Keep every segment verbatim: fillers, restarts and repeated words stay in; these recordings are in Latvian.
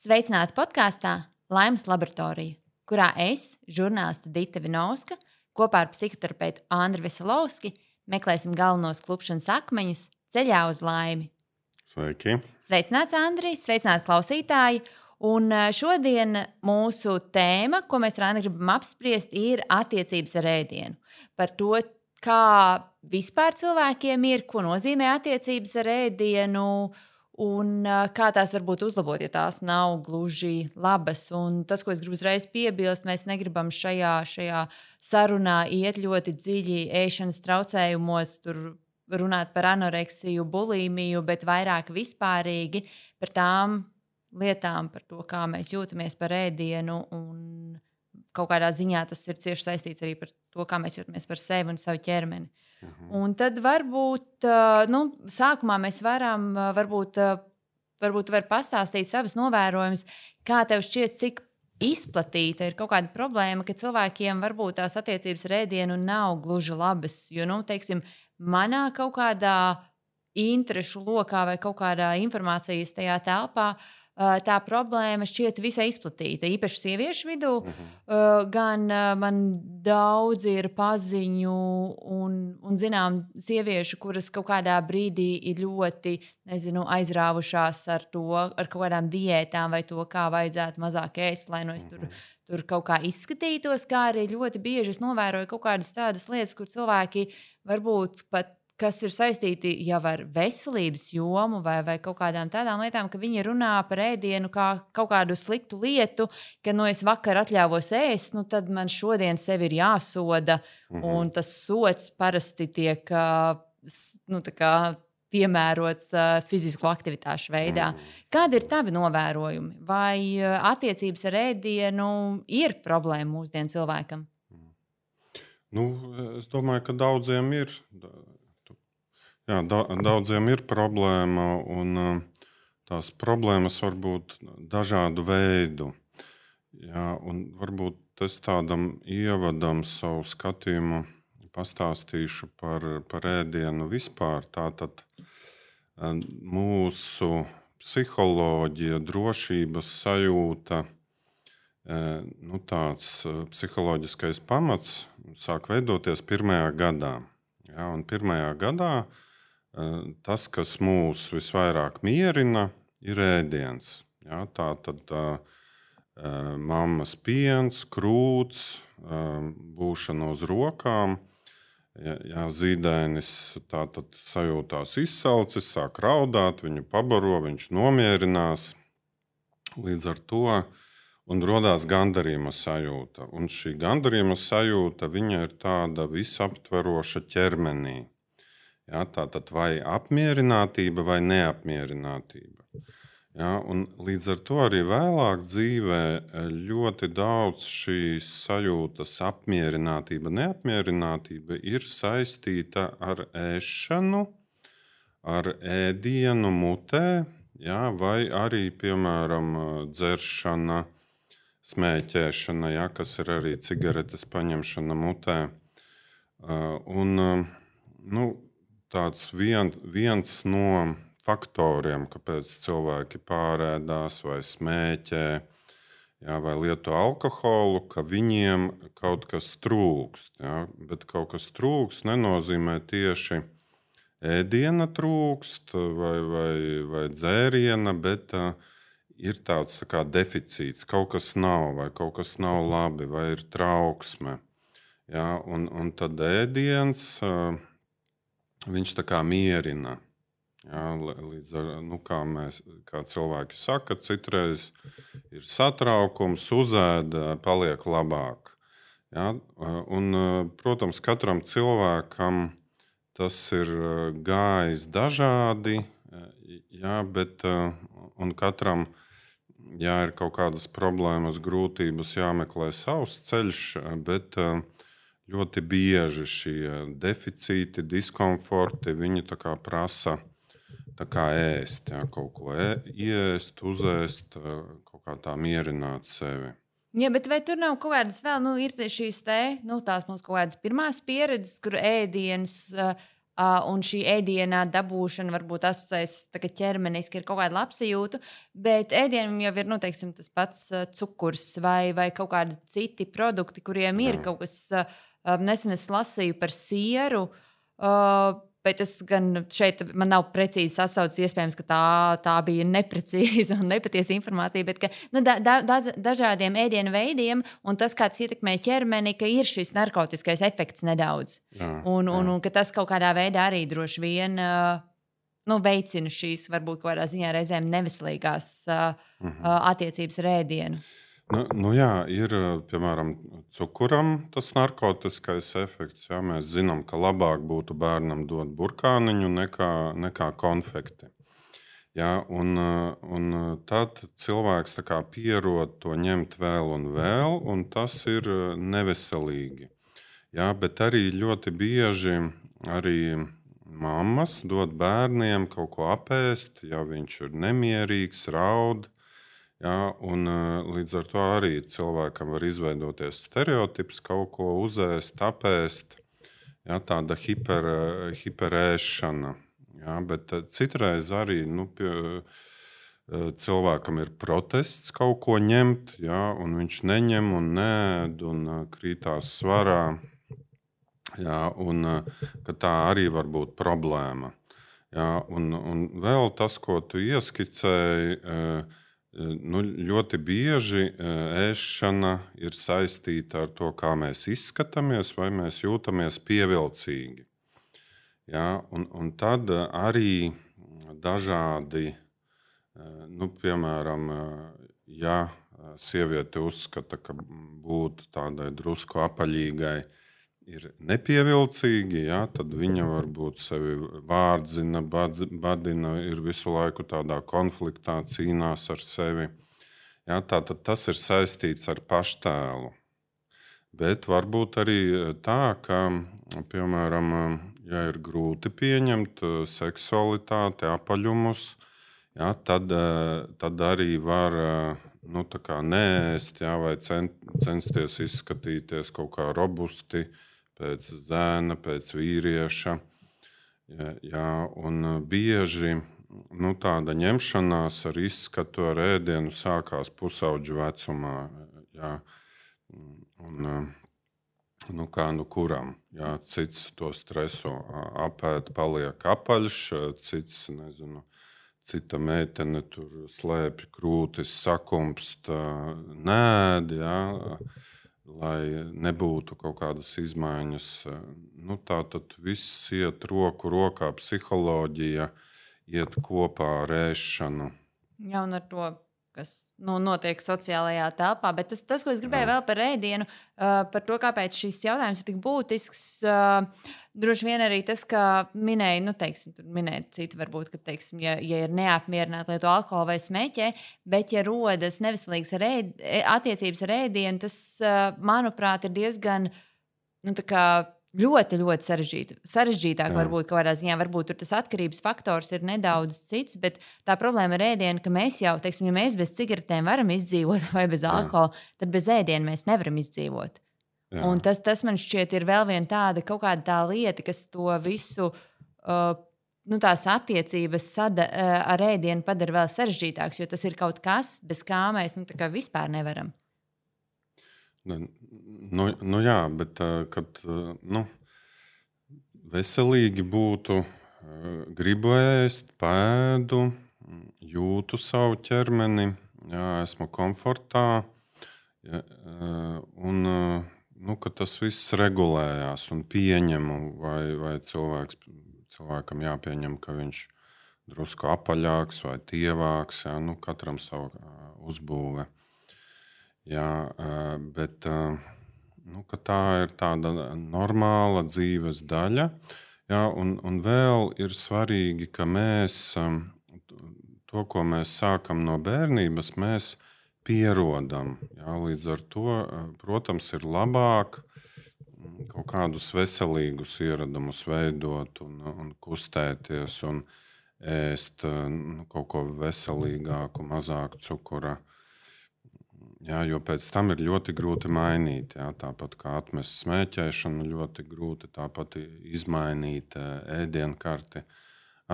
Sveicināti podkāstā Laimes laboratorija, kurā es, žurnāliste Dita Vinovska, kopā ar psihoterapeitu Andru Veselovski meklēsim galvenos klupšanas akmeņus ceļā uz laimi. Sveiki! Sveicināts, Andri! Sveicināti klausītāji! Un šodien mūsu tēma, ko mēs ar Andru gribam apspriest, ir attiecības ar ēdienu. Par to, kā vispār cilvēkiem ir, ko nozīmē attiecības ar ēdienu, un kā tās varbūt uzlabot, ja tās nav gluži labas. Un tas, ko es gribu uzreiz piebilst, mēs negribam šajā, šajā sarunā iet ļoti dziļi ēšanas traucējumos, tur runāt par anoreksiju, bulimiju, bet vairāk vispārīgi par tām lietām, par to, kā mēs jūtamies par ēdienu, un kaut kādā ziņā tas ir cieši saistīts arī par to, kā mēs jūtamies par sevi un savu ķermeni. Uh-huh. Un tad varbūt, nu, sākumā mēs varam, varbūt, varbūt var pastāstīt savas novērojumus, kā tev šķiet, cik izplatīta ir kaut kāda problēma, ka cilvēkiem varbūt tās attiecības ar ēdienu nav gluži labas, jo, nu, teiksim, manā kaut kādā interešu lokā vai kaut kādā informācijas tajā telpā tā problēma šķiet visai izplatīta, īpaši sieviešu vidū. Uh-huh. Gan man daudz ir paziņu un, un zinām sieviešu, kuras kaut kādā brīdī ir ļoti, nezinu, aizrāvušās ar to, ar kaut kādām diētām vai to, kā vajadzētu mazāk ēst, lai no es tur, tur kaut kā izskatītos, kā arī ļoti bieži es novēroju kaut kādas tādas lietas, kur cilvēki varbūt pat kas ir saistīti jau ar veselības jomu vai, vai kaut kādām tādām lietām, ka viņi runā par ēdienu kā kaut kādu sliktu lietu, ka, nu, es vakar atļāvos ēst, nu, tad man šodien sevi ir jāsoda, mm-hmm. un tas sods parasti tiek, nu, tā kā piemērots fizisku aktivitāšu veidā. Mm-hmm. Kādi ir tavi novērojumi? Vai attiecības ar ēdienu ir problēma mūsdienu cilvēkam? Nu, es domāju, ka daudziem ir. Jā, da, daudziem ir problēma, un tās problēmas var būt dažādu veidu. Jā, un varbūt es tādam ievadam savu skatījumu pastāstīšu par, par ēdienu vispār. Tātad mūsu psiholoģija, drošības sajūta, nu, tāds psiholoģiskais pamats sāk veidoties pirmajā gadā. Jā, un pirmajā gadā tas, kas mūs visvairāk mierina, ir ēdiens. Ja, tā tad uh, mammas piens, krūts, uh, būšana uz rokām. Ja, ja zīdainis tā tad sajūtās izsalcis, sāk raudāt, viņu pabaro, viņš nomierinās. Līdz ar to un rodās gandarījuma sajūta. Un šī gandarījuma sajūta, viņa ir tāda visaptveroša ķermenī. Ja, tātad vai apmierinātība vai neapmierinātība. Ja, un līdz ar to arī vēlāk dzīvē ļoti daudz šīs sajūtas apmierinātība, neapmierinātība ir saistīta ar ēšanu, ar ēdienu mutē, ja, vai arī, piemēram, dzeršana, smēķēšana, ja, kas ir arī cigaretes paņemšana mutē. Un, nu, tāds vien, viens no faktoriem, kāpēc cilvēki pārēdās vai smēķē, jā, vai lieto alkoholu, ka viņiem kaut kas trūkst. Jā, bet kaut kas trūkst nenozīmē tieši ēdiena trūkst vai, vai, vai dzēriena, bet uh, ir tāds tā kā deficīts. Kaut kas nav vai kaut kas nav labi vai ir trauksme. Jā, un, un tad ēdiens uh, viņš tā kā mierina. Jā, līdz ar, nu, kā, mēs, kā cilvēki saka, citreiz ir satraukums, uzēda, paliek labāk. Jā, un, protams, katram cilvēkam tas ir gājis dažādi, jā, bet un katram, ja ir kaut kādas problēmas, grūtības, jāmeklē savs ceļš, bet ļoti bieži šie deficīti, diskomforti, viņi tā kā prasa tā kā ēst, jā, kaut ko ē, iest, uzēst, kaut kā tā mierināt sevi. Jā, bet vai tur nav kaut kādas vēl, nu, ir šīs te, nu, tās mums kaut kādas pirmās pieredzes, kur ēdiens uh, Uh, un šī ēdienā dabūšana varbūt asociējas ķermeniski ar kaut kādu labsajūtu, bet ēdienam jau ir nu, teiksim, tas pats uh, cukurs vai, vai kaut kādi citi produkti, kuriem ir Jā. kaut kas, uh, nesen es lasīju par sieru. Uh, Bet es gan šeit man nav precīzi atsaucis, iespējams, ka tā, tā bija neprecīza un nepatiesa informācija, bet ka, nu, da, da, dažādiem ēdienu veidiem un tas, kā tas ietekmē ķermeni, ka ir šis narkotiskais efekts nedaudz. Jā, un, un, jā. un ka tas kaut kādā veidā arī droši vien uh, nu, veicina šīs, varbūt kaut kādā ziņā reizēm neveselīgās uh, Mhm. uh, attiecības ar ēdienu. Nu, nu jā, ir piemēram cukuram tas narkotiskais efekts. Jā, mēs zinām, ka labāk būtu bērnam dot burkāniņu nekā, nekā konfekti. Jā, un, un tad cilvēks tā kā pierod to ņemt vēl un vēl, un tas ir neveselīgi. Jā, bet arī ļoti bieži arī mammas dod bērniem kaut ko apēst, ja viņš ir nemierīgs, raud. Jā, un, līdz ar to arī cilvēkam var izveidoties stereotips, kaut ko uzēst, apēst. Jā, tāda hiper, hiperēšana. Jā, bet citreiz arī nu, pie, cilvēkam ir protests kaut ko ņemt, jā, un viņš neņem un neēd un krītās svarā. Jā, un, tā arī var būt problēma. Jā, un, un vēl tas, ko tu ieskicēji, nu, ļoti bieži ēšana ir saistīta ar to, kā mēs izskatāmies, vai mēs jūtamies pievilcīgi. Jā, un, un tad arī dažādi, nu, piemēram, ja sieviete uzskata, ka būt tādai drusku apaļīgai ir nepievilcīgi, jā, tad viņa varbūt sevi vārdzina, badina, ir visu laiku tādā konfliktā, cīnās ar sevi. Jā, tātad tas ir saistīts ar paštēlu. Bet varbūt arī tā, ka, piemēram, ja ir grūti pieņemt seksualitāti, apaļumus, jā, tad, tad arī var nu, tā kā neēst, jā, vai censties izskatīties kaut kā robusti, pēc zēna, pēc vīrieša. Jā, jā, un bieži nu, tāda ņemšanās ar izskatu, ar ēdienu sākās pusauģu vecumā. Jā, un, nu, kā nu kuram. Jā, cits to stresu apēd, paliek apaļš, cits, nezinu, cita meitene tur slēpj krūtis, sakumpst, nēd, jā, lai nebūtu kaut kādas izmaiņas. Nu, tā tad viss iet roku rokā, psiholoģija iet kopā ar ēšanu. Jā, un ar to, kas nu, notiek sociālajā telpā. Bet tas, tas ko es gribēju Jā. vēl par ēdienu, uh, par to, kāpēc šis jautājums ir tik būtisks, uh, droši vien arī tas, ka minēja, nu, teiksim, tur minēja citi varbūt, ka, teiksim, ja, ja ir neapmierināti lieto alkoholu vai smēķē, bet ja rodas neveselīgas ar ēd, attiecības ar ēdienu, tas, uh, manuprāt, ir diezgan, nu, tā kā ļoti, ļoti sarežģīti. Sarežģītāk, Jā. varbūt kaut kādā ziņā, varbūt tur tas atkarības faktors ir nedaudz cits, bet tā problēma ar ēdienu, ka mēs jau, teiksim, ja mēs bez cigaretēm varam izdzīvot vai bez alkohola, tad bez ēdiena mēs nevaram izdzīvot. Jā. Un tas, tas man šķiet ir vēl viena tāda kaut kāda tā lieta, kas to visu, uh, nu, tās attiecības sada, uh, ar ēdienu padara vēl sarežģītāks, jo tas ir kaut kas, bez kā mēs, nu, tā kā vispār nevaram. Nu, nu jā, bet kad nu, veselīgi būtu, gribu ēst, pēdu, jūtu savu ķermeni, jā, esmu komfortā, jā, un nu, ka tas viss regulējās un pieņemu, vai, vai cilvēks, cilvēkam jāpieņem, ka viņš drusku apaļāks vai tievāks, jā, nu, katram savu uzbūve. Jā, bet nu, tā ir tāda normāla dzīves daļa. Jā, un, un vēl ir svarīgi, ka mēs to, ko mēs sākam no bērnības, mēs pierodam. Jā, līdz ar to, protams, ir labāk kaut kādus veselīgus ieradumus veidot un, un kustēties un ēst nu, kaut ko veselīgāku, mazāk cukura. Jā, jo pēc tam ir ļoti grūti mainīt. Jā, tāpat kā atmest smēķēšanu, ļoti grūti. Tāpat izmainīt ēdienkarti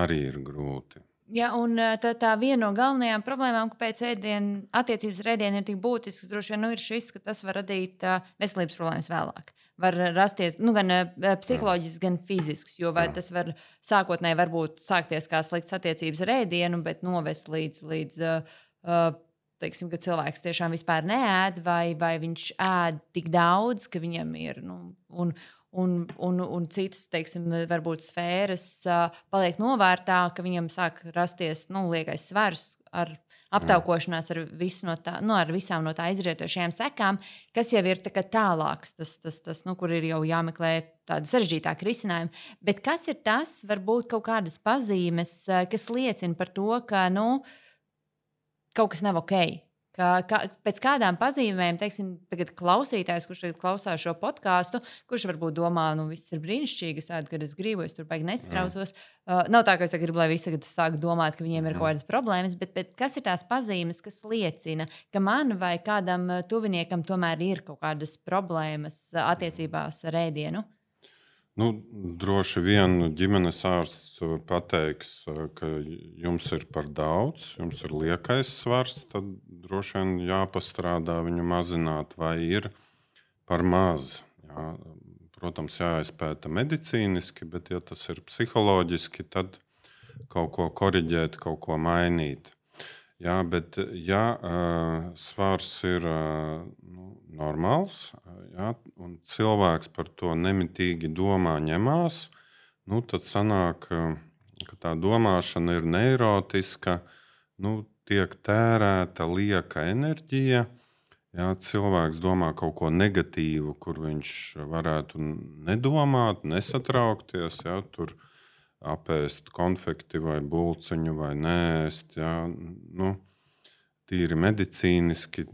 arī ir grūti. Jā, un tā, tā viena no galvenajām problēmām, kāpēc ēdienu, attiecības ar ēdienu ir tik būtisks, droši vien nu, ir šis, ka tas var radīt uh, veselības problēmas vēlāk. Var rasties nu, gan uh, psiholoģisks, gan fizisks. Jo tas var sākotnēji varbūt sākties kā slikts attiecības ar ēdienu, bet novest līdz, līdz uh, uh, teiksim, ka cilvēks tiešām vispār neēd, vai, vai viņš ēd tik daudz, ka viņam ir. Nu, un, Un, un, un citas, teiksim, varbūt sfēras uh, paliek novērtā, ka viņam sāk rasties nu, liekais svars ar aptaukošanās ar, visu no tā, nu, ar visām no tā izrietošajām sekām, kas jau ir tā tālāks, tas, tas, tas, nu, kur ir jau jāmeklē tādi sarežģītāki risinājumi. Bet kas ir tas, varbūt kaut kādas pazīmes, kas liecina par to, ka nu, kaut kas nav ok? Kā, kā, pēc kādām pazīmēm, teiksim, tagad klausītājs, kurš tagad klausās šo podkāstu, kurš varbūt domā, nu, viss ir brīnišķīgi, es tādu, kad es gribu, es tur baigi nestrausos. Uh, nav tā, ka es gribu, lai visi tagad sāk domāt, ka viņiem ir kaut kādas problēmas, bet, bet kas ir tās pazīmes, kas liecina, ka man vai kādam tuviniekam tomēr ir kaut kādas problēmas attiecībās ar ēdienu? Nu, droši vien ģimenes ārsts pateiks, ka jums ir par daudz, jums ir liekais svars, tad droši vien jāpastrādā viņu mazināt, vai ir par maz. Jā. Protams, jāizpēta medicīniski, bet ja tas ir psiholoģiski, tad kaut ko koriģēt, kaut ko mainīt. Jā, bet ja uh, svars ir uh, nu, normāls, jā, un cilvēks par to nemitīgi domā, ņemās, nu, tad sanāk, ka tā domāšana ir neirotiska, nu, tiek tērēta lieka enerģija. Jā, cilvēks domā kaut ko negatīvu, kur viņš varētu nedomāt, nesatraukties, jā, tur apēst konfekti vai bulciņu vai nēst. Jā, nu, tīri medicīniski,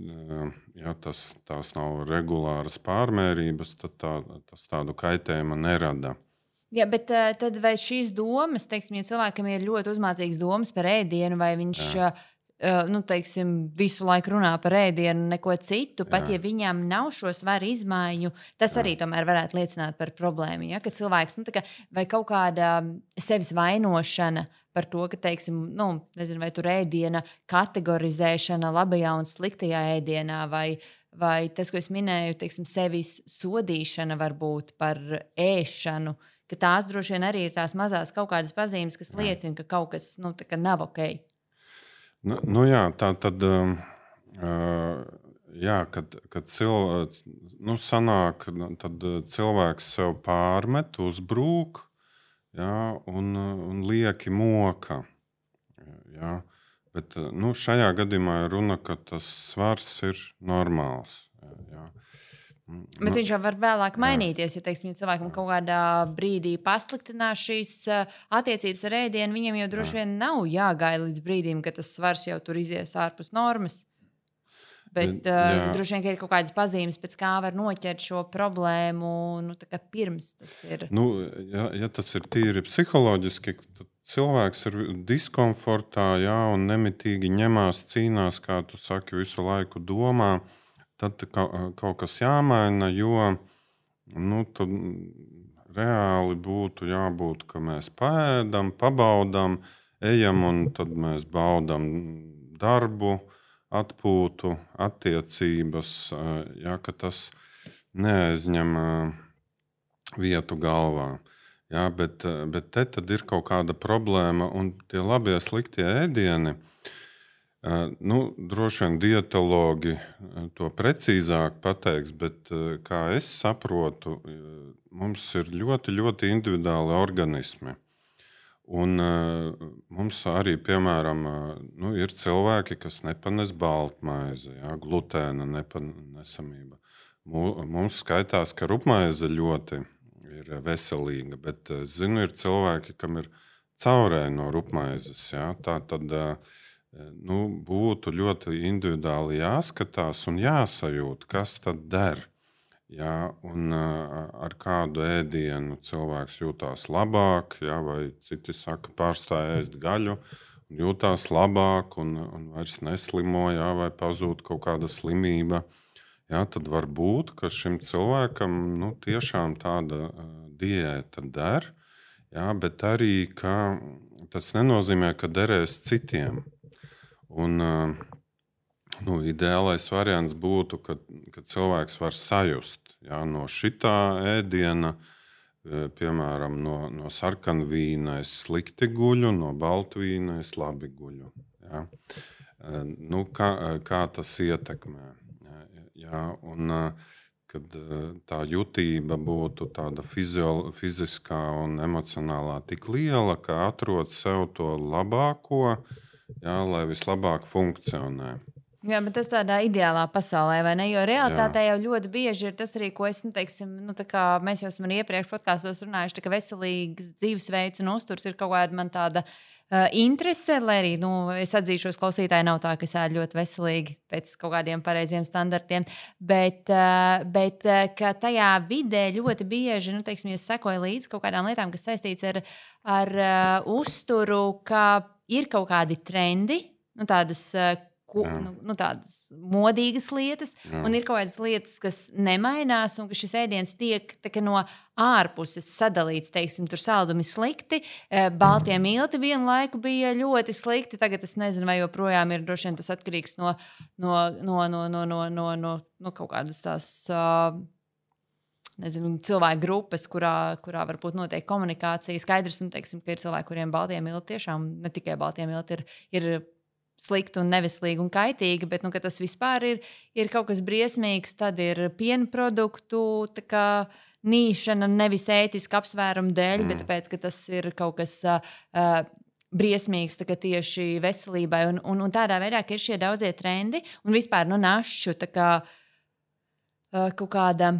ja tas, tās nav regulāras pārmērības, tad tā, tas tādu kaitējumu nerada. Jā, bet tad vai šīs domas, teiksim, ja cilvēkam ir ļoti uzmācīgas domas par ēdienu, vai viņš Jā. nu, teiksim, visu laiku runā par ēdienu, neko citu, pat Jā. ja viņam nav šo svaru izmaiņu, tas Jā. arī tomēr varētu liecināt par problēmu. Ja? Ka cilvēks, nu, tā kā, vai kaut kāda sevis vainošana par to, ka, teiksim, nu, nezinu, vai tur ēdiena kategorizēšana labajā un sliktajā ēdienā, vai, vai tas, ko es minēju, teiksim, sevis sodīšana varbūt par ēšanu, ka tās droši vien arī ir tās mazās kaut kādas pazīmes, kas liecina, ka kaut kas nu, tā kā nav ok. Nu, nu jā, tā tad, uh, jā, kad, kad cilvēks, nu, sanāk, tad cilvēks sev pārmet, uzbrūk, jā, un, un lieki moka. Jā. Bet nu, šajā gadījumā ir runa, ka tas svars ir normāls. Jā. Bet nu, viņš jau var vēlāk mainīties. Ja, teiksim, ja cilvēkam kaut kādā brīdī pasliktinās šīs attiecības ar ēdienu, viņam jau droši vien nav jāgaida līdz brīdim, kad tas svars jau tur izies ārpus normas. Bet uh, droši vien ir kaut kādas pazīmes, pēc kā var noķert šo problēmu nu, pirms tas ir. Nu, ja, ja tas ir tīri psiholoģiski, tad cilvēks ir diskomfortā, jā, un nemitīgi ņemās, cīnās, kā tu saki, visu laiku domā. Tad kaut kas jāmaina, jo nu, tad reāli būtu jābūt, ka mēs paēdam, pabaudām, ejam un tad mēs baudām darbu, atpūtu, attiecības, ja, ka tas neaizņem vietu galvā. Ja, bet, bet te tad ir kaut kāda problēma, un tie labie sliktie ēdieni, nu, droši vien dietologi to precīzāk pateiks, bet kā es saprotu, mums ir ļoti, ļoti individuāli organismi. Un mums arī, piemēram, nu, ir cilvēki, kas nepanes baltmaizi, ja, glutēna nepanesamība. Mums skaitās, ka rupmaize ļoti ir veselīga, bet zinu, ir cilvēki, kam ir caurēji no rupmaizes. Ja, tā tad nu, būtu ļoti individuāli jāskatās un jāsajūt, kas tad der. Ja, un ar kādu ēdienu cilvēks jūtās labāk, ja, vai citi saka, pārstāj ēst gaļu, jūtās labāk un, un vairs neslimo, jā, vai pazūd kaut kāda slimība. Jā, tad var būt, ka šim cilvēkam nu, tiešām tāda uh, diēta der, jā, bet arī ka tas nenozīmē, ka derēs citiem. Un, uh, nu, ideālais variants būtu, ka, ka cilvēks var sajust jā, no šitā ēdiena. Piemēram, no, no sarkanvīna es slikti guļu, no baltvīna es labi guļu. Ja? Nu, kā, kā tas ietekmē? Ja? Un, kad tā jutība būtu tāda fizio, fiziskā un emocionālā tik liela, ka atrod sev to labāko, ja, lai vislabāk funkcionē. Jā, bet tas tādā ideālā pasaulē, vai ne? Jo realitātē jau ļoti bieži ir tas arī, ko es, nu, teiksim, nu, tā kā mēs jau esam arī iepriekš podkāstos runājuši, tā ka veselīgs dzīvesveids un uzturs ir kaut kāda man tāda uh, interese, lai arī, nu, es atzīšos, klausītāji nav tā, ka es ēdu ļoti veselīgi pēc kaut kādiem pareiziem standartiem, bet, uh, bet uh, ka tajā vidē ļoti bieži, nu, teiksim, ja sekoju līdz kaut kādām lietām, kas saistīts ar, ar uh, uzturu, ka ir kaut kādi trendi, nu, tādas uh, Ko, nu, nu, tādas modīgas lietas, Jā. Un ir kaut kādas lietas, kas nemainās, un ka šis ēdiens tiek no ārpuses sadalīts. Teiksim, tur saldumi slikti, baltie milti vienu laiku bija ļoti slikti. Tagad es nezinu, vai joprojām ir droši vien tas atkarīgs no, no, no, no, no, no, no, no, no kaut kādas tās. Uh, Nezinu, cilvēku grupas, kurā, kurā varbūt notiek komunikācija. Skaidrs, nu, teiksim, ka ir cilvēki, kuriem baltie milti tiešām ne tikai baltie milti ir. ir slikti un neveselīgi un kaitīgi, bet nu, tas vispār ir, ir kaut kas briesmīgs. Tad ir piena produktu kā, nīšana nevis ētiska apsvēruma dēļ, mm. bet tāpēc, ka tas ir kaut kas uh, briesmīgs tieši veselībai. Un, un, un tādā veidā, ka ir šie daudzie trendi un vispār nu, našu kā, uh, kaut kāda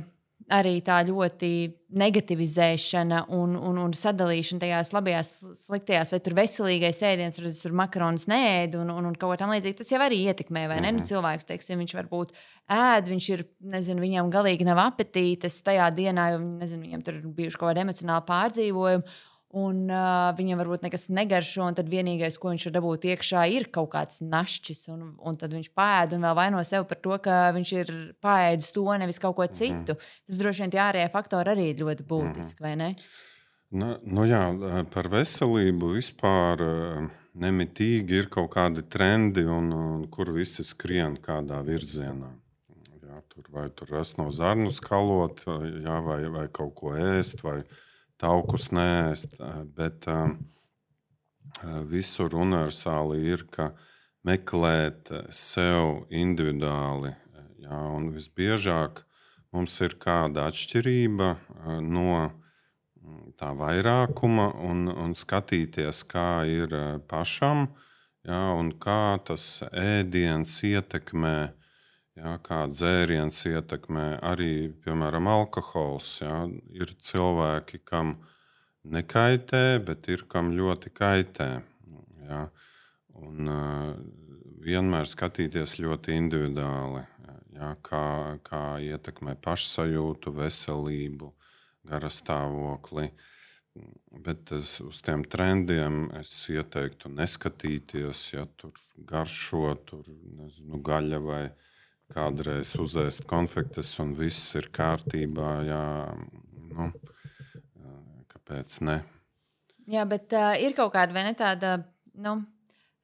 arī tā ļoti negativizēšana un, un, un sadalīšana tajās labajās, sliktajās, vai tur veselīgais ēdiens, vai tur makaronus neēd un, un, un kaut kā tam līdzīgi. Tas jau arī ietekmē, vai ne? Mm-hmm. Nu, cilvēks, teiksim, viņš varbūt ēd, viņš ir, nezinu, viņam galīgi nav apetītes tajā dienā, jo, nezinu, viņam tur ir bijuši kaut kādi emocionāli pārdzīvojumi. Un uh, viņam varbūt nekas negaršo, un tad vienīgais, ko viņš var dabūt iekšā, ir kaut kāds našķis. Un, un tad viņš pēd un vēl vaino sevi par to, ka viņš ir pēdis to, nevis kaut ko citu. Mm-hmm. Tas droši vien tie ārējie faktori arī ir ļoti būtiski, mm-hmm. vai ne? Nu, nu jā, par veselību vispār nemitīgi ir kaut kādi trendi, un, un kur visi skrien kādā virzienā. Jā, tur vai tur rast no zarnu skalot, jā, vai, vai kaut ko ēst, vai taukus neēst, bet uh, visur universāli ir, ka meklēt sev individuāli. Jā, un visbiežāk mums ir kāda atšķirība uh, no tā vairākuma un, un skatīties, kā ir pašam, jā, un kā tas ēdiens ietekmē. Jā, kā dzēriens ietekmē arī, piemēram, alkohols. Jā. Ir cilvēki, kam nekaitē, bet ir kam ļoti kaitē. Jā. Un, uh, vienmēr skatīties ļoti individuāli, jā, kā, kā ietekmē pašsajūtu, veselību, garastāvokli. Bet es, uz tiem trendiem es ieteiktu neskatīties, ja tur garšo, tur nezinu, gaļa vai kādreiz uzēst konfektes un viss ir kārtībā, jā, nu, kāpēc ne? Jā, bet uh, ir kaut kāda, vai ne tāda, nu,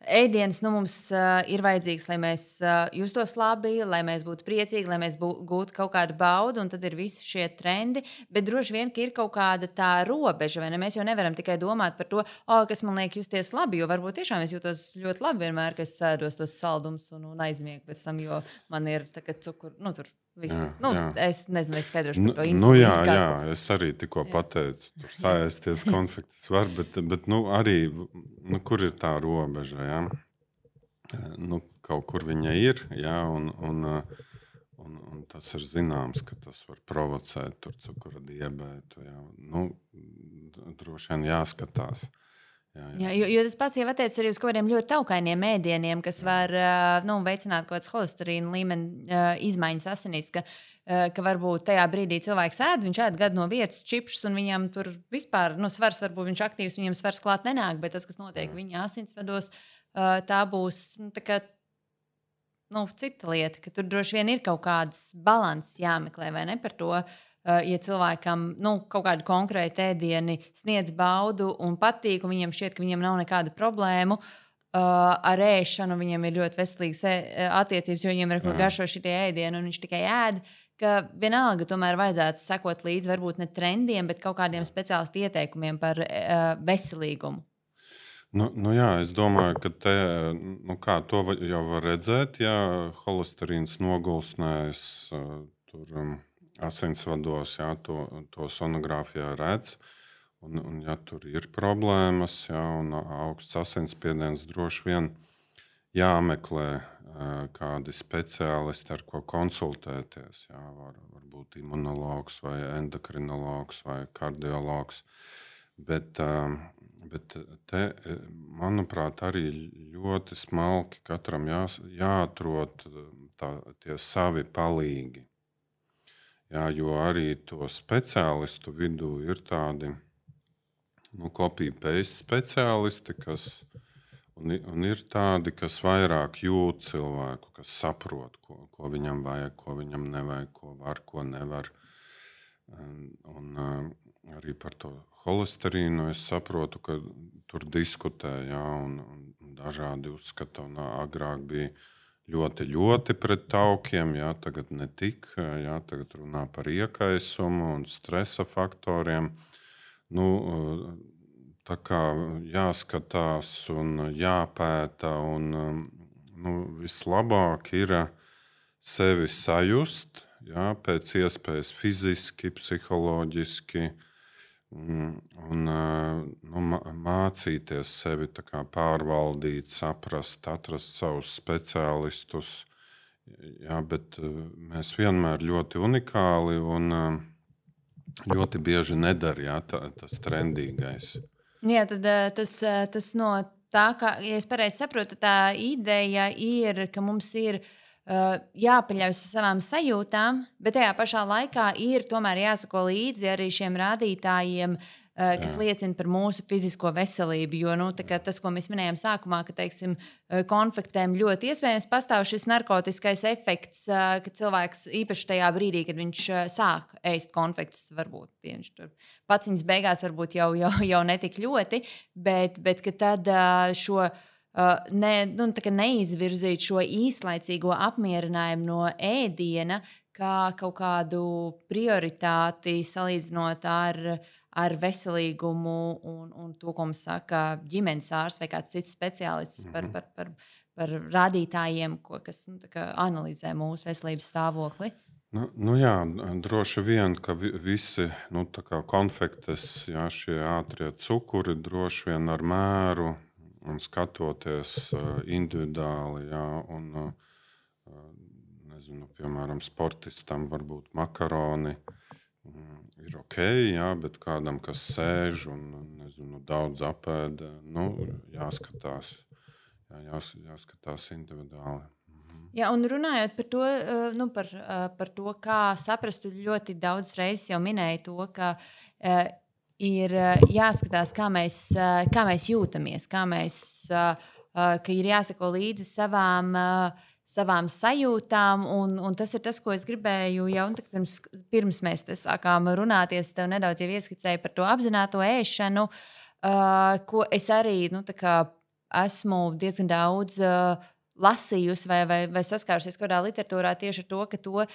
ēdiens, nu, mums uh, ir vajadzīgs, lai mēs uh, justos labi, lai mēs būtu priecīgi, lai mēs bū, gūtu kaut kādu baudu, un tad ir visi šie trendi, bet droši vien, ka ir kaut kāda tā robeža, vai ne? Mēs jau nevaram tikai domāt par to, oh, kas man liek justies labi, jo varbūt tiešām es jūtos ļoti labi vienmēr, ka es sēdos tos saldumus un, un aizmiegu pēc tam, jo man ir tā, cukur, nu, tur viss tas, nu, jā. Es nezinu, es skaidrošu par to insulīnu. Nu, jā, jā, es arī tikko jā. pateicu, tur sāēsties konfektes var, bet, bet nu, arī, nu, kur ir tā robeža, jā? Nu, kaut kur viņa ir, jā, un, un, un, un tas ir zināms, ka tas var provocēt tur cukura diabētu, jā. Nu, droši vien jāskatās, Jā, jā, jo, jo tas pats jau attiecas arī uz kaut kādiem ļoti taukainiem ēdieniem, kas var nu, veicināt kaut kādas holesterīna līmeni izmaiņas asinīs. Ka, ka varbūt tajā brīdī cilvēks ēd, viņš ēd gadu no vietas čipšus, un viņam tur vispār nu, svars, varbūt viņš aktīvs, viņam svars klāt nenāk, bet tas, kas notiek viņa asinsvados, tā būs nu, tā kā, nu, cita lieta, ka tur droši vien ir kaut kāds balanss jāmeklē, vai ne par to. Ja cilvēkam nu, kaut kādu konkrētu ēdienu sniedz baudu un patīk, un viņam šķiet, ka viņam nav nekāda problēma uh, ar ēšanu, viņam ir ļoti veselīgas attiecības, jo viņam ir kur garšo šitie ēdieni, un viņš tikai ēd, ka vienalga tomēr vajadzētu sekot līdzi varbūt ne trendiem, bet kaut kādiem speciālistu ieteikumiem par uh, veselīgumu. Nu, nu jā, es domāju, ka te, nu kā, to jau var redzēt, ja holesterīns nogulsnēs uh, tur. Um, asinsvados, jā, to, to sonogrāfijā redz. Un, un, ja tur ir problēmas, jā, un augsts asinsspiediens, droši vien jāmeklē kādi speciālisti, ar ko konsultēties. Jā, var, varbūt imunologs vai endokrinologs vai kardiologs. Bet, bet te, manuprāt, arī ļoti smalki katram jā, jāatrod tā, tie savi palīgi. Jā, jo arī to speciālistu vidū ir tādi nu, copy-paste speciālisti, kas, un, un ir tādi, kas vairāk jūt cilvēku, kas saprot, ko, ko viņam vajag, ko viņam nevajag, ko var, ko nevar. Un, un arī par to holesterīnu es saprotu, ka tur diskutē, jā, un, un dažādi uzskata, un agrāk bija ļoti, ļoti pret taukiem, jā, tagad ne tik, jā, tagad runā par iekaisumu un stresa faktoriem. Nu, tā kā jāskatās un jāpēta, un nu, vislabāk ir sevi sajust, jā, pēc iespējas fiziski, psiholoģiski, un nu, mācīties sevi tā kā pārvaldīt, saprast, atrast savus speciālistus. Jā, bet mēs vienmēr ļoti unikāli un ļoti bieži nedara, jā, tā, tas trendīgais. Jā, tad tas, tas no tā, ka, ja es pareizi saprotu, tā ideja ir, ka mums ir Uh, jāpaļaujas uz savām sajūtām, bet tajā pašā laikā ir tomēr jāsako līdzi arī šiem rādītājiem, uh, kas Jā. liecina par mūsu fizisko veselību. Jo nu, tas, ko mēs minējām sākumā, ka teiksim, konfektēm ļoti iespējams pastāv šis narkotiskais efekts, uh, ka cilvēks īpaši tajā brīdī, kad viņš uh, sāk ēst konfektes, varbūt viņš tur paciņas beigās varbūt jau, jau, jau netik ļoti, bet, bet ka tad uh, šo Uh, ne, nu, neizvirzīt šo īslaicīgo apmierinājumu no ēdiena kā kaut kādu prioritāti salīdzinot ar, ar veselīgumu un, un to, ko mums saka ģimenes ārsts vai kāds cits speciālists par, par, par, par rādītājiem, ko, kas nu, analizē mūsu veselības stāvokli. Nu, nu jā, droši vien, ka visi nu, konfektes, jā, šie ātrie cukuri droši vien ar mēru un skatoties uh, individuāli, jā, un, uh, nezinu, piemēram, sportistam varbūt makaroni um, ir ok, jā, bet kādam, kas sēž un, nezinu, daudz apēda, nu, jāskatās, jā, jās, jāskatās individuāli. Mhm. Jā, un runājot par to, uh, nu, par, uh, par to, kā saprast, ļoti daudz reizes jau minēju to, ka uh, ir jāskatās, kā mēs, kā mēs jūtamies, kā mēs, ka ir jāsako līdzi savām, savām sajūtām. Un, un tas ir tas, ko es gribēju jau pirms, pirms mēs sākām runāties. Tev nedaudz jau ieskicēju par to apzināto ēšanu, ko es arī nu, esmu diezgan daudz lasījusi vai, vai, vai saskārusies kādā literatūrā tieši ar to, ka to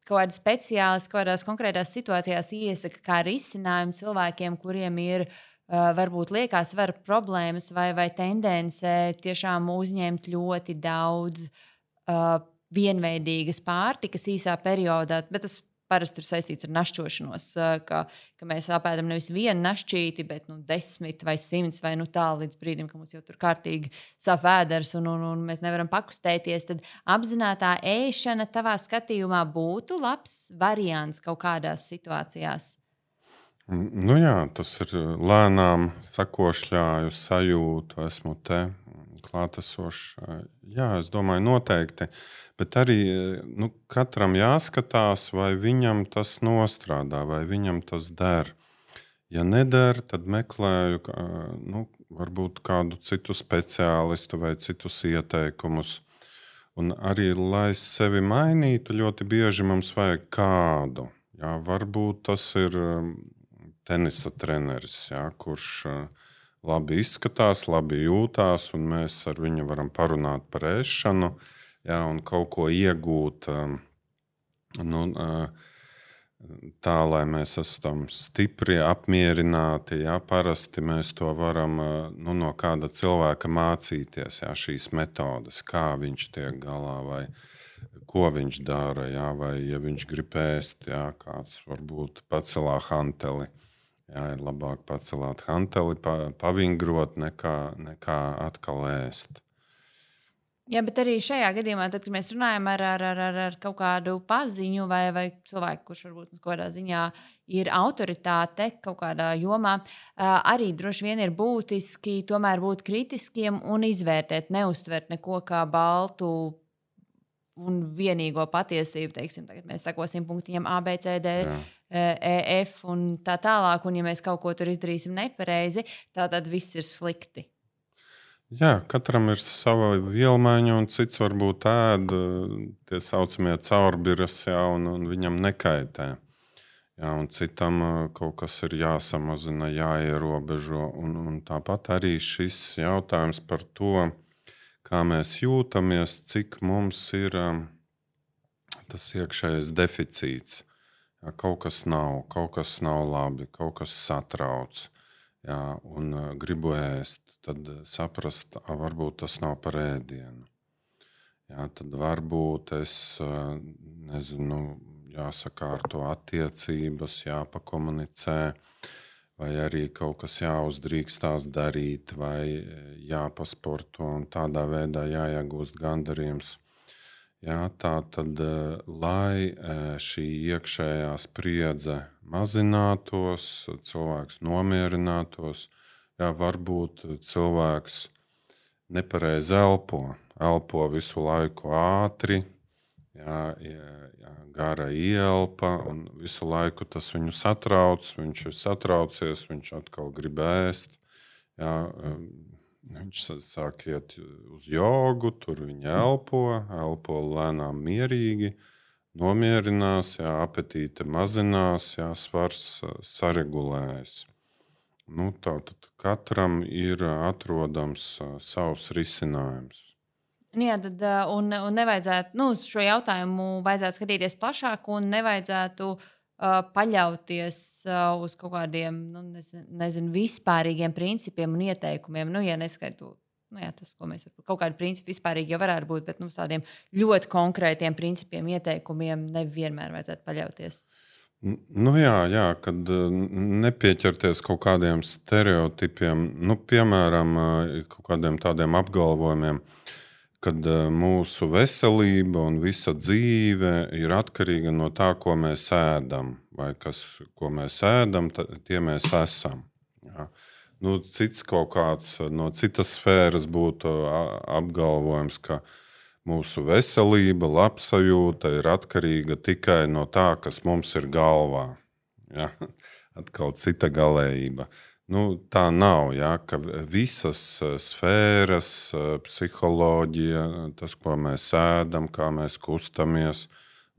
kaut kādi speciālisti kaut kādās konkrētās situācijās iesaka kā risinājumu cilvēkiem, kuriem ir uh, varbūt liekas svara problēmas vai, vai tendence tiešām uzņemt ļoti daudz uh, vienveidīgas pārtikas īsā periodā. Bet tas parasti ir saistīts ar našķošanos, uh, ka, ka mēs apēdam nevis vienu našķīti, bet nu, desmit vai simts vai nu tā līdz brīdim, ka mums jau tur kārtīgi sāp vēders un, un, un mēs nevaram pakustēties. Tad apzinātā ēšana tavā skatījumā būtu labs variants kaut kādās situācijās? Nu jā, tas ir lēnām sakošļāju sajūtu, esmu te klātesošs. Jā, es domāju, noteikti. Bet arī nu, katram jāskatās, vai viņam tas nostrādā, vai viņam tas der. Ja neder, tad meklēju nu, varbūt kādu citu speciālistu vai citus ieteikumus. Un arī, lai sevi mainītu, ļoti bieži mums vajag kādu. Jā, varbūt tas ir tenisa treneris, jā, kurš labi izskatās, labi jūtās, un mēs ar viņu varam parunāt par ēšanu, jā, un kaut ko iegūt. Nu, tā, lai mēs esam stipri, apmierināti. Jā, parasti mēs to varam nu, no kāda cilvēka mācīties, jā, šīs metodes, kā viņš tiek galā, vai ko viņš dara, jā, vai ja viņš grib ēst, jā, kāds varbūt pacelā hanteli. Jā, ir labāk pacelāt hanteli, pa, pavingrot, nekā, nekā atkal ēst. Jā, bet arī šajā gadījumā, tad, kad mēs runājam ar, ar, ar, ar, ar kaut kādu paziņu vai, vai cilvēku, kurš varbūt kaut kādā ziņā ir autoritāte kaut kādā jomā, arī droši vien ir būtiski tomēr būt kritiskiem un izvērtēt, neuztvert neko kā baltu un vienīgo patiesību. Teiksim, tagad mēs sekosim punktiņam A, B, C, D, Jā. E, F un tā tālāk. Un ja mēs kaut ko tur izdarīsim nepareizi, tad viss ir slikti. Jā, katram ir sava vielmaiņa, un cits varbūt ēd tie saucamie caurbiras, jā, un, un viņam nekaitē. Jā, un citam kaut kas ir jāsamazina, jāierobežo. Un, un tāpat arī šis jautājums par to, kā mēs jūtamies, cik mums ir tas iekšējais deficīts. Jā, kaut kas nav, kaut kas nav labi, kaut kas satrauc, jā, un gribu ēst. Tad saprast, varbūt tas nav par ēdienu. Jā, tad varbūt es nezinu, jāsakārto attiecības, jāpakomunicē, vai arī kaut kas jāuzdrīkstās darīt, vai jāpasporto, un tādā veidā jāiegūst gandarījums. Jā, tā tad, lai šī iekšējā spriedze mazinātos, cilvēks nomierinātos, jā, varbūt cilvēks nepareizi elpo, elpo visu laiku ātri, jā, jā, gara ielpa, un visu laiku tas viņu satrauc, viņš ir satraucies, viņš atkal grib ēst. Jā, viņš sāk iet uz jogu, tur viņa elpo, elpo lēnām mierīgi, nomierinās, jā, apetīte mazinās, jā, svars saregulējas. Nu, tātad katram ir atrodams savs risinājums. Jā, tad, un, un nevajadzētu, nu, uz šo jautājumu vajadzētu skatīties plašāk un nevajadzētu uh, paļauties uh, uz kaut kādiem, nu, nezinu, nezinu, vispārīgiem principiem un ieteikumiem. Nu, ja neskaitu, nu, jā, tas, ko mēs kaut kādi principi vispārīgi jau varētu būt, bet nu, uz tādiem ļoti konkrētiem principiem, ieteikumiem nevienmēr vajadzētu paļauties. Nu jā, jā, kad nepieķerties kaut kādiem stereotipiem, nu, piemēram, kaut kādiem tādiem apgalvojumiem, kad mūsu veselība un visa dzīve ir atkarīga no tā, ko mēs ēdam, vai kas, ko mēs ēdam, tie mēs esam. Jā. Nu, cits kaut kāds no citas sfēras būtu apgalvojums, ka mūsu veselība, labsajūta ir atkarīga tikai no tā, kas mums ir galvā. Ja? Atkal cita galējība. Nu, tā nav, ja? Ka visas sfēras, psiholoģija, tas, ko mēs ēdam, kā mēs kustamies,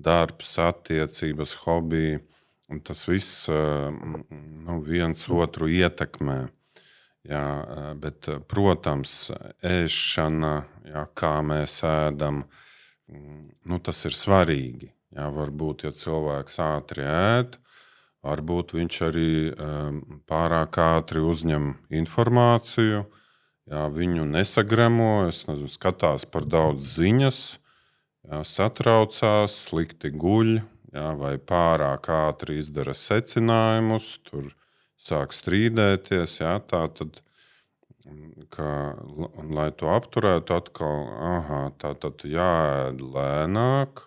darbs, attiecības, hobiji, tas viss nu, viens otru ietekmē. Jā, bet, protams, ēšana, jā, kā mēs ēdam, nu, tas ir svarīgi. Jā, varbūt, ja cilvēks ātri ēd, varbūt viņš arī um, pārāk ātri uzņem informāciju, jā, viņu nesagremo, es nezinu, skatās par daudz ziņas, jā, satraucās, slikti guļ, jā, vai pārāk ātri izdara secinājumus, tur sāk strīdēties, jā, tā tad, ka, un, lai to apturētu, atkal, aha, tā tad jāēd lēnāk,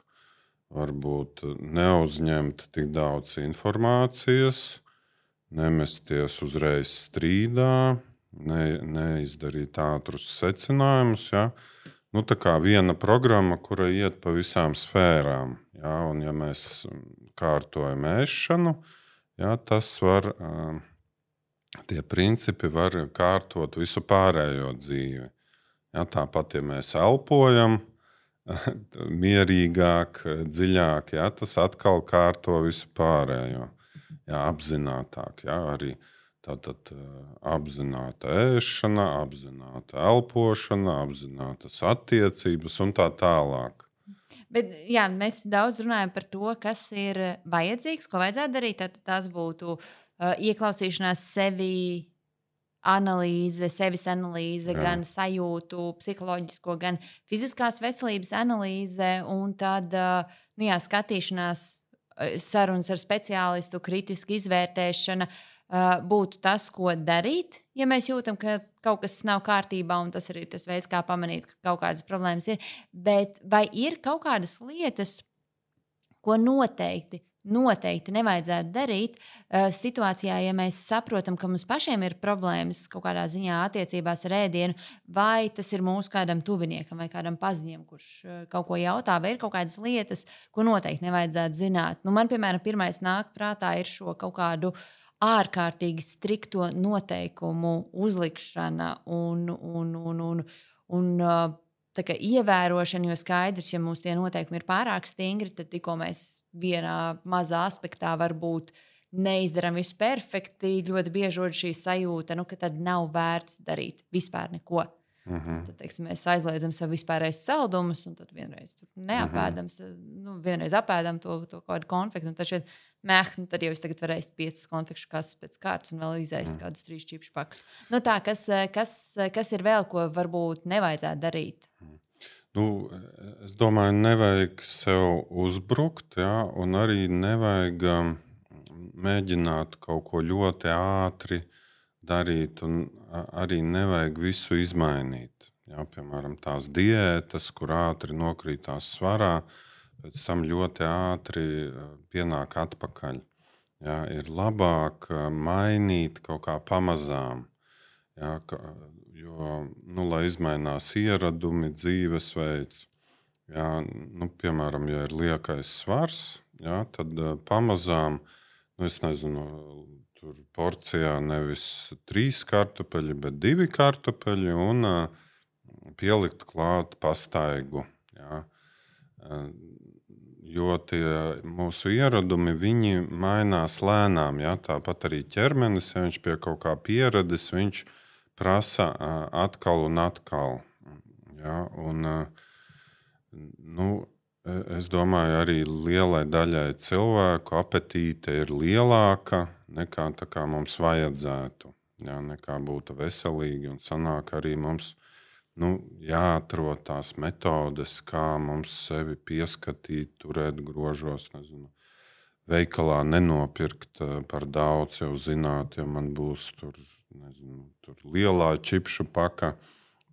varbūt neuzņemt tik daudz informācijas, nemesties uzreiz strīdā, ne, neizdarīt ātrus secinājumus. Ja? Nu, tā kā viena programma, kura iet pa visām sfērām. Ja? Un, ja mēs kārtojam ēšanu, ja, tas var, tie principi var kārtot visu pārējo dzīvi. Ja? Tāpat, ja mēs elpojam, mierīgāk, dziļāk, ja? Tas atkal kārto visu pārējo. Ja? Apzinātāk, ja? Arī tātad apzināta ēšana, apzināta elpošana, apzinātas attiecības un tā tālāk. Bet, jā, mēs daudz runājam par to, kas ir vajadzīgs, ko vajadzētu darīt. Tad tas būtu uh, ieklausīšanās sevi, analīze, sevis analīze, jā. Gan sajūtu, psiholoģisko, gan fiziskās veselības analīze, un tad uh, nu jā, skatīšanās, sarunas ar speciālistu, kritiska izvērtēšana. Uh, būtu tas, ko darīt, ja mēs jūtam, ka kaut kas nav kārtībā, un tas arī ir tas veids, kā pamanīt, ka kaut kādas problēmas ir. Bet vai ir kaut kādas lietas, ko noteikti, noteikti nevajadzētu darīt uh, situācijā, ja mēs saprotam, ka mums pašiem ir problēmas kaut kādā ziņā attiecībās ar ēdienu, vai tas ir mūsu kādam tuviniekam vai kādam paziņam, kurš uh, kaut ko jautā, vai ir kaut kādas lietas, ko noteikti nevajadzētu zināt. Nu, man, piemēram, pirmais nāk prātā ir šo kaut kādu ārkārtīgi strikto noteikumu uzlikšana un, un, un, un, un tā kā ievērošana, jo skaidrs, ja mums tie noteikumi ir pārāk stingri, tad tikko mēs vienā mazā aspektā varbūt neizdaram visu perfekti, ļoti bieži rod šī sajūta, nu, ka tad nav vērts darīt vispār neko. Uh-huh. Tad, teiksim, mēs aizliedzam sev vispārējais saldumus, un tad vienreiz neapēdam, uh-huh. nu, vienreiz apēdam to, to kaut kādu konfektu, un tad šeit mēh, nu, tad jau es tagad varu ēst piecas konfekšu kastes pēc kārtas un vēl izēst uh-huh. kādus trīs čipšu pakus. Nu tā, kas, kas, kas ir vēl, ko varbūt nevajadzētu darīt? Nu, es domāju, nevajag sev uzbrukt, ja, un arī nevajag um, mēģināt kaut ko ļoti ātri darīt, un arī nevajag visu izmainīt. Ja, piemēram, tās diētas, kur ātri nokrītās svarā, pēc tam ļoti ātri pienāk atpakaļ. Ja, ir labāk mainīt kaut kā pamazām, ja, ka, jo, nu, lai izmainās ieradumi, dzīvesveids. Ja, nu, piemēram, ja ir liekais svars, ja, tad pamazām, nu, es nezinu, tur porcijā nevis trīs kartupeļi, bet divi kartupeļi un uh, pielikt klāt pastaigu. Ja. Uh, jo tie mūsu ieradumi, viņi mainās lēnām. Ja. Tāpat arī ķermenis, ja viņš pie kaut kā pieradis, viņš prasa uh, atkal un atkal. Ja. Un, uh, nu, es domāju, arī lielai daļai cilvēku apetīte ir lielāka nekā tā kā mums vajadzētu, jā, nekā būtu veselīgi, un sanāk arī mums nu, jāatrod tās metodes, kā mums sevi pieskatīt, turēt grožos, nezinu, veikalā nenopirkt par daudz, jau zināt, ja man būs tur, nezinu, tur lielā čipšu paka,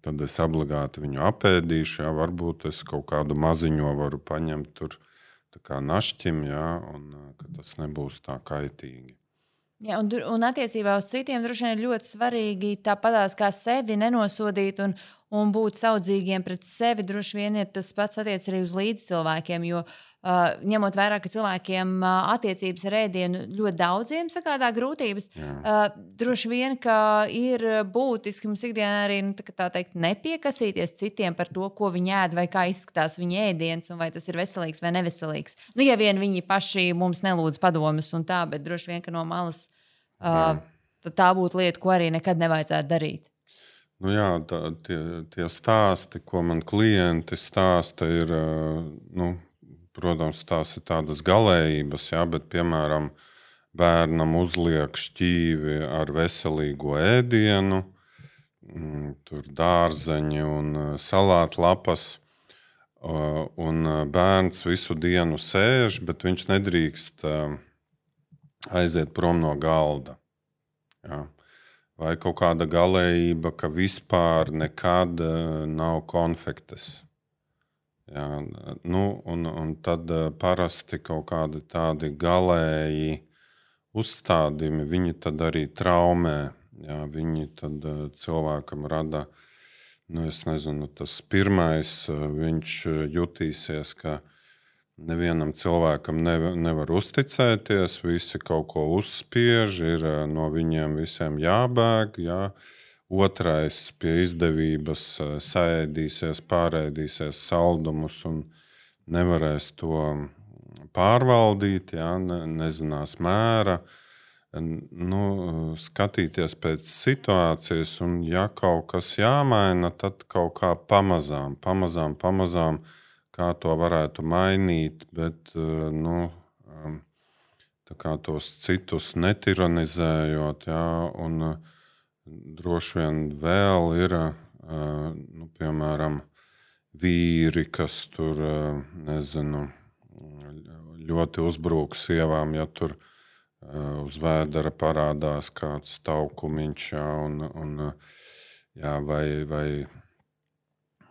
tad es obligāti viņu apēdīšu, jā, varbūt es kaut kādu maziņo varu paņemt tur tā kā našķim, jā, un ka tas nebūs tā kaitīgi. Jā, un, un attiecībā uz citiem droši vien ir ļoti svarīgi tāpatās kā sevi nenosodīt un, un būt saudzīgiem pret sevi. Droši vien ir tas pats attiec arī uz līdzcilvēkiem, jo uh, ņemot vērā, ka cilvēkiem uh, attiecības ar ēdienu ļoti daudziem sagādā grūtības, uh, droši vien, ka ir būtiski mums ikdienā arī nu, tā, tā teikt, nepiekasīties citiem par to, ko viņi ēd vai kā izskatās viņa ēdiens un vai tas ir veselīgs vai neveselīgs. Nu, ja vien viņi paši mums nelūdz padomus un tā, bet droši vien, ka no malas Uh, tā būtu lieta, ko arī nekad nevajadzētu darīt. Nu jā, tā, tie, tie stāsti, ko man klienti stāsta, ir, nu, protams, tās ir tādas galējības, jā, bet, piemēram, bērnam uzliek šķīvi ar veselīgo ēdienu, tur dārzeņi un salātlapas, un bērns visu dienu sēž, bet viņš nedrīkst aiziet prom no galda. Jā. Vai kaut kāda galējība, ka vispār nekad nav konfektes. Jā. Nu, un, un tad parasti kaut kādi tādi galēji uzstādījumi, viņi tad arī traumē. Jā, viņi tad uh, cilvēkam rada, nu, es nezinu, tas pirmais, uh, viņš jutīsies, ka nevienam cilvēkam nevar, nevar uzticēties, visi kaut ko uzspiež, ir uh, no viņiem visiem jābēg, jā. Otrais pie izdevības uh, saēdīsies, pārēdīsies saldumus un nevarēs to pārvaldīt, jā, ne, nezinās mēra. Nu, skatīties pēc situācijas, un ja kaut kas jāmaina, tad kaut kā pamazām, pamazām, pamazām, kā to varētu mainīt, bet nu, tā kā tos citus netiranizējot, jā, un droši vien vēl ir, nu, piemēram, vīri, kas tur, nezinu, ļoti uzbrūk sievām, ja tur uz vēdera parādās kāds taukumiņš, jā, un, un, jā, vai, vai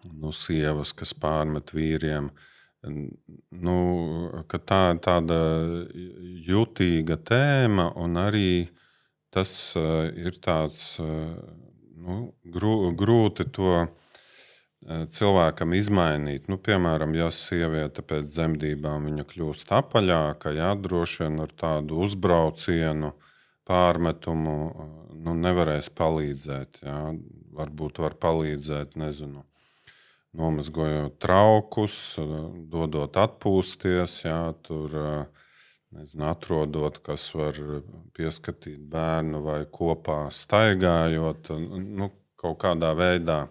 nu, sievas, kas pārmet vīriem. Nu, ka tā ir tāda jutīga tēma, un arī tas ir tāds nu, grū, grūti to cilvēkam izmainīt. Nu, piemēram, ja sieviete pēc dzemdībām viņa kļūst apaļāka, jā, droši vien ar tādu uzbraucienu, pārmetumu nu, nevarēs palīdzēt. Jā. Varbūt var palīdzēt, nezinu, nomazgojot traukus, dodot atpūsties, jā, tur, nezinu, atrodot, kas var pieskatīt bērnu vai kopā staigājot, nu, kaut kādā veidā.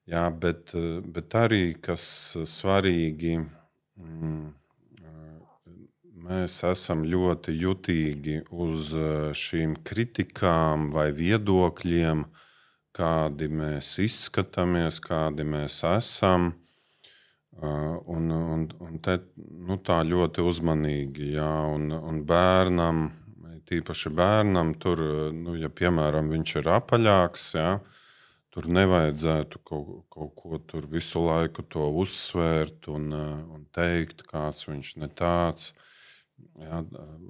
Jā, bet, bet arī, kas svarīgi, mēs esam ļoti jutīgi uz šīm kritikām vai viedokļiem, kādi mēs izskatāmies, kādi mēs esam. Un, un, un te, nu, tā ļoti uzmanīgi, jā, un, un bērnam, tīpaši bērnam, tur, nu, ja piemēram viņš ir apaļāks, jā, tur nevajadzētu kaut, kaut ko tur visu laiku to uzsvērt un, un teikt, kāds viņš ne tāds. Jā,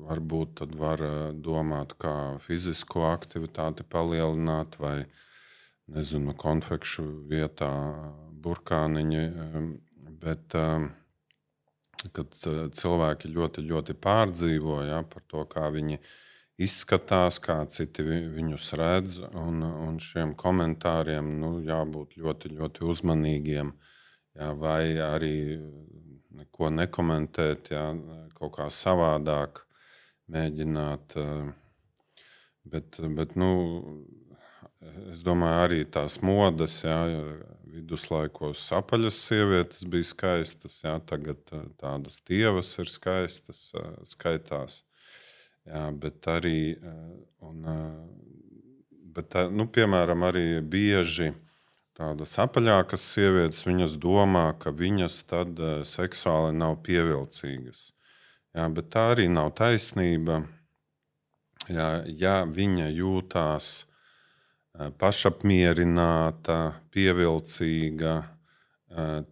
varbūt tad var domāt, kā fizisko aktivitāti palielināt vai, nezinu, konfekšu vietā burkāniņi. Bet, kad cilvēki ļoti, ļoti pārdzīvo, jā, par to, kā viņi izskatās, kā citi viņus redz, un, un šiem komentāriem nu, jābūt ļoti, ļoti uzmanīgiem, jā, vai arī neko nekomentēt, jā, kaut kā savādāk mēģināt. Bet, bet nu, es domāju, arī tās modes, jā, viduslaikos apaļas sievietes bija skaistas, jā, tagad tādas tievas ir skaistas, skaitās. Jā, bet arī, un, bet, nu, piemēram, arī bieži tādas apaļākas sievietes, viņas domā, ka viņas tad seksuāli nav pievilcīgas. Jā, bet tā arī nav taisnība. Jā, ja viņa jūtās pašapmierināta, pievilcīga,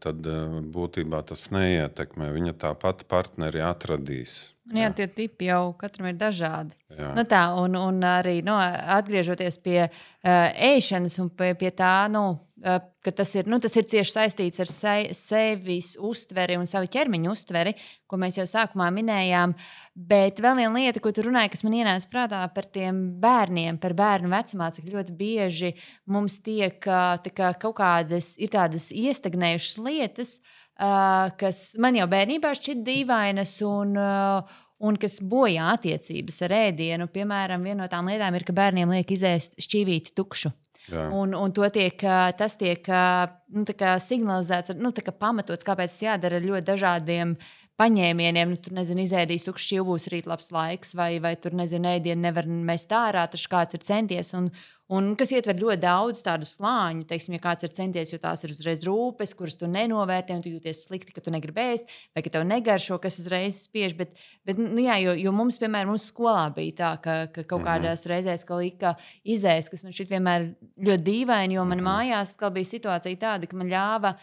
tad būtībā tas neietekmē. Viņa tāpat partneri atradīs. Jā, tie tipi jau katram ir dažādi. Jā. Nu tā, un, un arī nu, atgriežoties pie uh, ēšanas un pie, pie tā, nu, uh, ka tas ir, nu, tas ir cieši saistīts ar se, sevis uztveri un savu ķermeņa uztveri, ko mēs jau sākumā minējām. Bet vēl viena lieta, ko tu runāji, kas man ienāca prātā par tiem bērniem, par bērnu vecumā, cik ļoti bieži mums tiek tā kā, kaut kādas, ir tādas iestagnējušas lietas, Uh, kas man jau bērnībā šķiet dīvainas un, uh, un kas bojā attiecības ar ēdienu. Piemēram, viena no tām lietām ir, ka bērniem liek izēst šķīvīti tukšu. Un, un to tiek, tas tiek nu, signalizēts, nu, pamatots, kāpēc tas jādara ar ļoti dažādiem paņēmieniem. Nu, tur, nezinu, izēdīs tukšs šķīvūs, rīt labs laiks, vai, vai tur, nezinu, ēdienu nevar mest ārā, taču kāds ir centies. Un, un kas ietver ļoti daudz tādu slāņu, teiksim, ja kāds ir centies, jo tās ir uzreiz rūpes, kuras tu nenovērtē, un tu jūties slikti, ka tu negribi ēst, vai ka tev negaršo, kas uzreiz spiež. Bet, bet nu, jā, jo, jo mums, piemēram, mums skolā bija tā, ka, ka kaut kādās mm-hmm. reizēs, ka lika izēst, kas man šķiet vienmēr ļoti dīvaini, jo man mm-hmm. mājās bija situācija tāda, ka man ļāva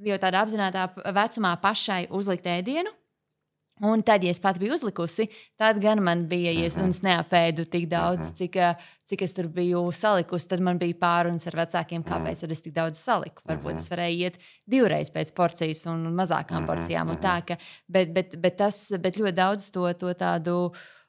jau tādā apzinātā vecumā pašai uzlikt ēdienu. Un tad, ja es pati biju uzlikusi, tad gan man bija, ja es, un es neapēdu tik daudz, cik, cik es tur biju salikusi, tad man bija pārunas ar vecākiem, kāpēc tad es tik daudz saliku. Varbūt es varēju iet divreiz pēc porcijas un mazākām porcijām. Un tā, ka, bet, bet, bet, tas, bet ļoti daudz to, to tādu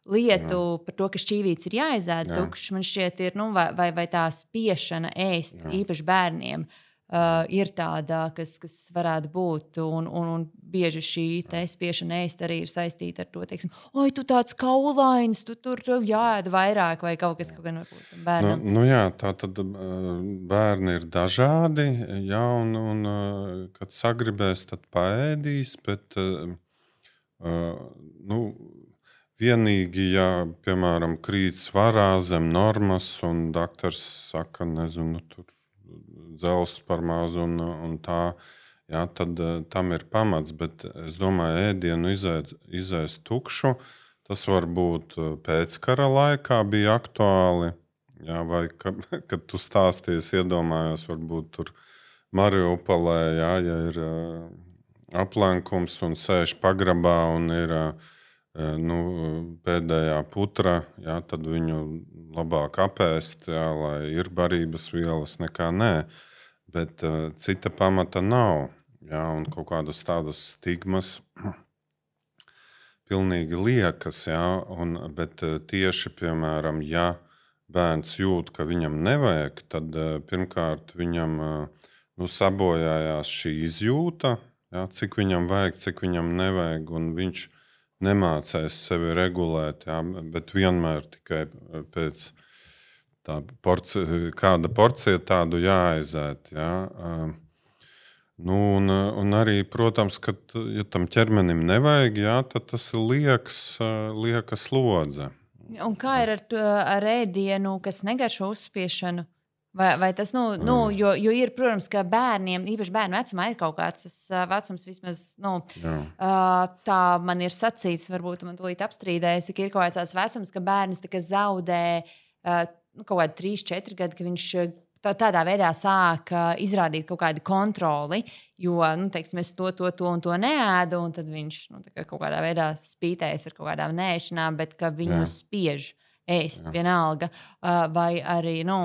lietu Jā. Par to, ka šķīvīts ir jāizēd tukšs, man šķiet, ir, nu, vai, vai, vai tā spiešana ēst, Jā. Īpaši bērniem. Uh, ir tāda, kas, kas varētu būt, un, un, un bieži šī spiešana ēst arī ir saistīta ar to, teiksim, oi, tu tāds kaulains, tu tur jāēd vairāk, vai kaut kas, kaut gan varbūt bērnam. Nu, nu jā, tā tad bērni ir dažādi, jā, un, un kad sagribēs, tad paēdīs, bet, nu, vienīgi, ja, piemēram, krīt svarā zem normas, un daktars saka, nezinu, tur dzels par mazu un, un tā, jā, tad tam ir pamats. Bet es domāju, ēdienu izēst, izēst tukšu, tas varbūt pēckara laikā bija aktuāli. Jā, vai ka, kad tu stāsties, iedomājos, varbūt tur Mariupolē, jā, ja ir uh, aplenkums un sēž pagrabā un ir uh, nu, pēdējā putra, jā, tad viņu labāk apēst, jā, lai ir barības vielas nekā nē. Bet uh, cita pamata nav. Jā, un kaut kādas tādas stigmas pilnīgi liekas. Jā, un, bet uh, tieši, piemēram, ja bērns jūt, ka viņam nevajag, tad uh, pirmkārt viņam uh, nu, sabojājās šī izjūta, jā, cik viņam vajag, cik viņam nevajag, un viņš nemācēs sevi regulēt, jā, bet vienmēr tikai pēc tā porcija, kāda porcija tādu jāaizēt. Jā. Nu, un, un arī, protams, ka, ja tam ķermenim nevajag, jā, tad tas ir liekas, lieka slodze. Un kā ir ar, to, ar ēdienu, kas negaršo uzspiešanu? Vai, vai tas, nu, nu jo, jo ir, protams, ka bērniem, īpaši bērnu vecumā, ir kaut kāds tas vecums vismaz, nu, tā man ir sacīts, varbūt man tūlīt apstrīdēs, ka ir kaut kāds tāds vecums, ka bērns tā kā zaudē nu, kaut kādi trīs, četri gadi, ka viņš tā, tādā veidā sāk izrādīt kaut kādu kontroli, jo, nu, teiksim, es to, to, to un to neēdu, un tad viņš nu, kā kaut kādā veidā spītējas ar kaut kādām nēšanām, bet ka viņu Jā. Spiež ēst Jā. Vienalga, vai arī, nu,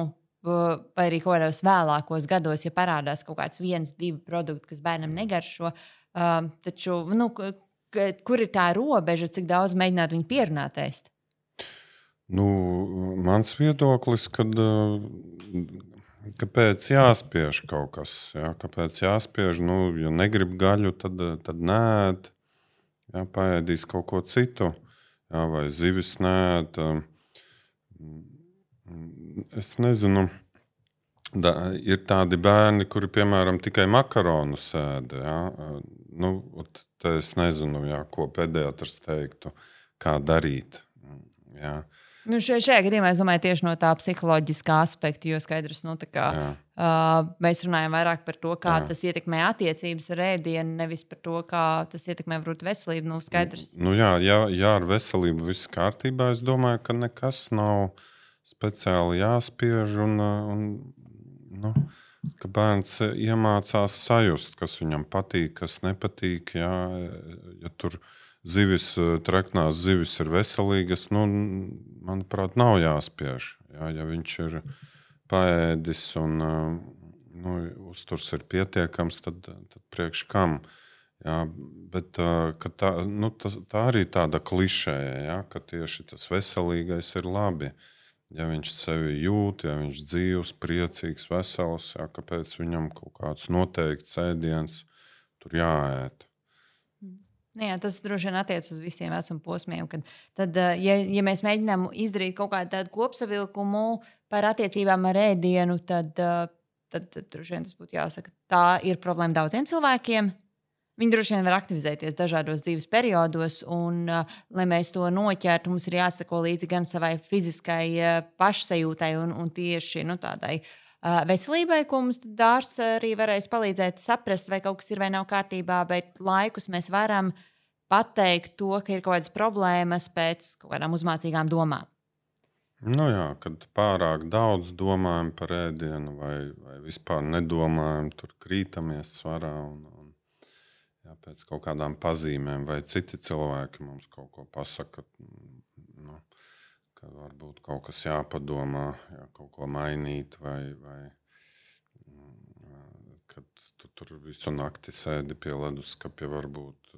vai arī kaut kādos vēlākos gados, ja parādās kaut kāds viens, divi produkti, kas bērnam negaršo, taču, nu, kur ir tā robeža, cik daudz mēģināt viņu pierunāt ēst? Nu, mans viedoklis, kad kāpēc jāspiež kaut kas, jā, kāpēc jāspiež, nu, ja negrib gaļu, tad, tad nēd, jā, paēdīs kaut ko citu, jā, vai zivis nēd. Es nezinu, da, ir tādi bērni, kuri, piemēram, tikai makaronus ēd, jā, nu, te es nezinu, jā, ko pediatrs teiktu, kā darīt, jā. Nu, šajā gadījumā es domāju tieši no tā psiholoģiskā aspekta, jo skaidrs, nu, tā kā, uh, mēs runājam vairāk par to, kā Jā. Tas ietekmē attiecības ar ēdienu, nevis par to, kā tas ietekmē varbūt veselību. Nu, skaidrs. Nu, jā, jā, jā, ar veselību viss kārtībā. Es domāju, ka nekas nav speciāli jāspiež un, un nu, ka bērns iemācās sajust, kas viņam patīk, kas nepatīk. Jā, ja tur zivis, treknās zivis ir veselīgas, nu, manuprāt, nav jāspiež. Jā, ja viņš ir paēdis un nu, uzturs ir pietiekams, tad, tad priekš kam. Jā, bet tā, nu, tā, tā arī tāda klišēja, jā, ka tieši tas veselīgais ir labi. Ja viņš sevi jūt, ja viņš dzīvs, priecīgs, vesels, jā, kāpēc viņam kaut kāds noteikts ēdiens tur jāēt. Jā, tas droši vien attiecas uz visiem vecuma posmiem. Kad, tad, ja, ja mēs mēģinām izdarīt kaut kādu tādu kopsavilkumu par attiecībām ar ēdienu, tad, tad, tad droši vien tas būtu jāsaka, tā ir problēma daudziem cilvēkiem. Viņi droši vien var aktivizēties dažādos dzīves periodos, un, lai mēs to noķertu, mums ir jāsako līdzi gan savai fiziskai pašsajūtai un, un tieši nu, tādai veselībai, ko mums dārs arī varēs palīdzēt saprast, vai kaut kas ir vai nav kārtībā, bet laikus mēs varam pateikt to, ka ir kaut kādas problēmas pēc kaut kādām uzmācīgām domām. Nu jā, kad pārāk daudz domājam par ēdienu vai, vai vispār nedomājam, tur krītamies svarā. Un, un, Jā, pēc kaut kādām pazīmēm, vai citi cilvēki mums kaut ko pasaka, nu, ka varbūt kaut kas jāpadomā, jā, kaut ko mainīt, vai, vai kad tu tur visu nakti sēdi pie leduskapja, varbūt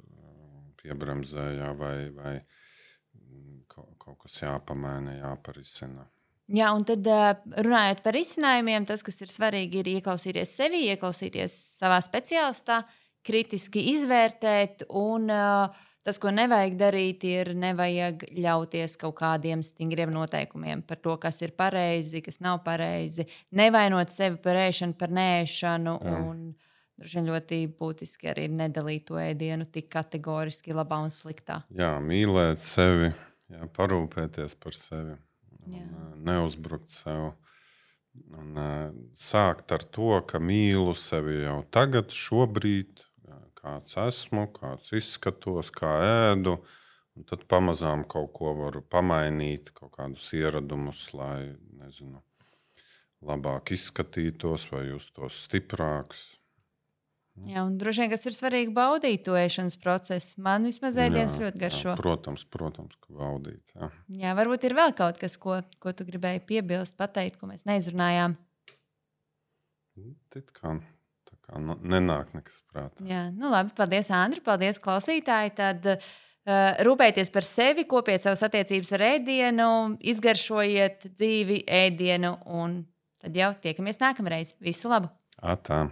piebremzējā, vai, vai kaut, kaut kas jāpamaina, jāparisina. Jā, un tad runājot par risinājumiem, tas, kas ir svarīgi, ir ieklausīties sevi, ieklausīties savā speciālistā, kritiski izvērtēt, un uh, tas, ko nevajag darīt, ir nevajag ļauties kaut kādiem stingriem noteikumiem par to, kas ir pareizi, kas nav pareizi, nevainot sevi par ēšanu, par neēšanu, Jā. Un droši vien ļoti būtiski arī nedalīt to ēdienu tik kategoriski labā un sliktā. Jā, mīlēt sevi, jā, parūpēties par sevi, Jā. un neuzbrukt sev. Un, uh, sākt ar to, ka mīlu sevi jau tagad, šobrīd, kāds esmu, kāds izskatos, kā ēdu, un tad pamazām kaut ko varu pamainīt, kaut kādus ieradumus, lai, nezinu, labāk izskatītos vai justos stiprāks. Jā, un droši vien, kas ir svarīgi, baudīt to ēšanas procesu. Man vismaz ēdiens Jā, ļoti garšo. Jā, protams, protams, ka baudīt. Jā. Jā, varbūt ir vēl kaut kas, ko, ko tu gribēji piebilst, pateikt, ko mēs neizrunājām. It kā, tā kā nenāk nekas prātā. Jā, nu labi, paldies, Andri, paldies, klausītāji. Tad uh, rūpējieties par sevi, kopiet savas attiecības ar ēdienu, izgaršojiet dzīvi ēdienu, un tad jau tiekamies nākamreiz. Visu labu! Atā.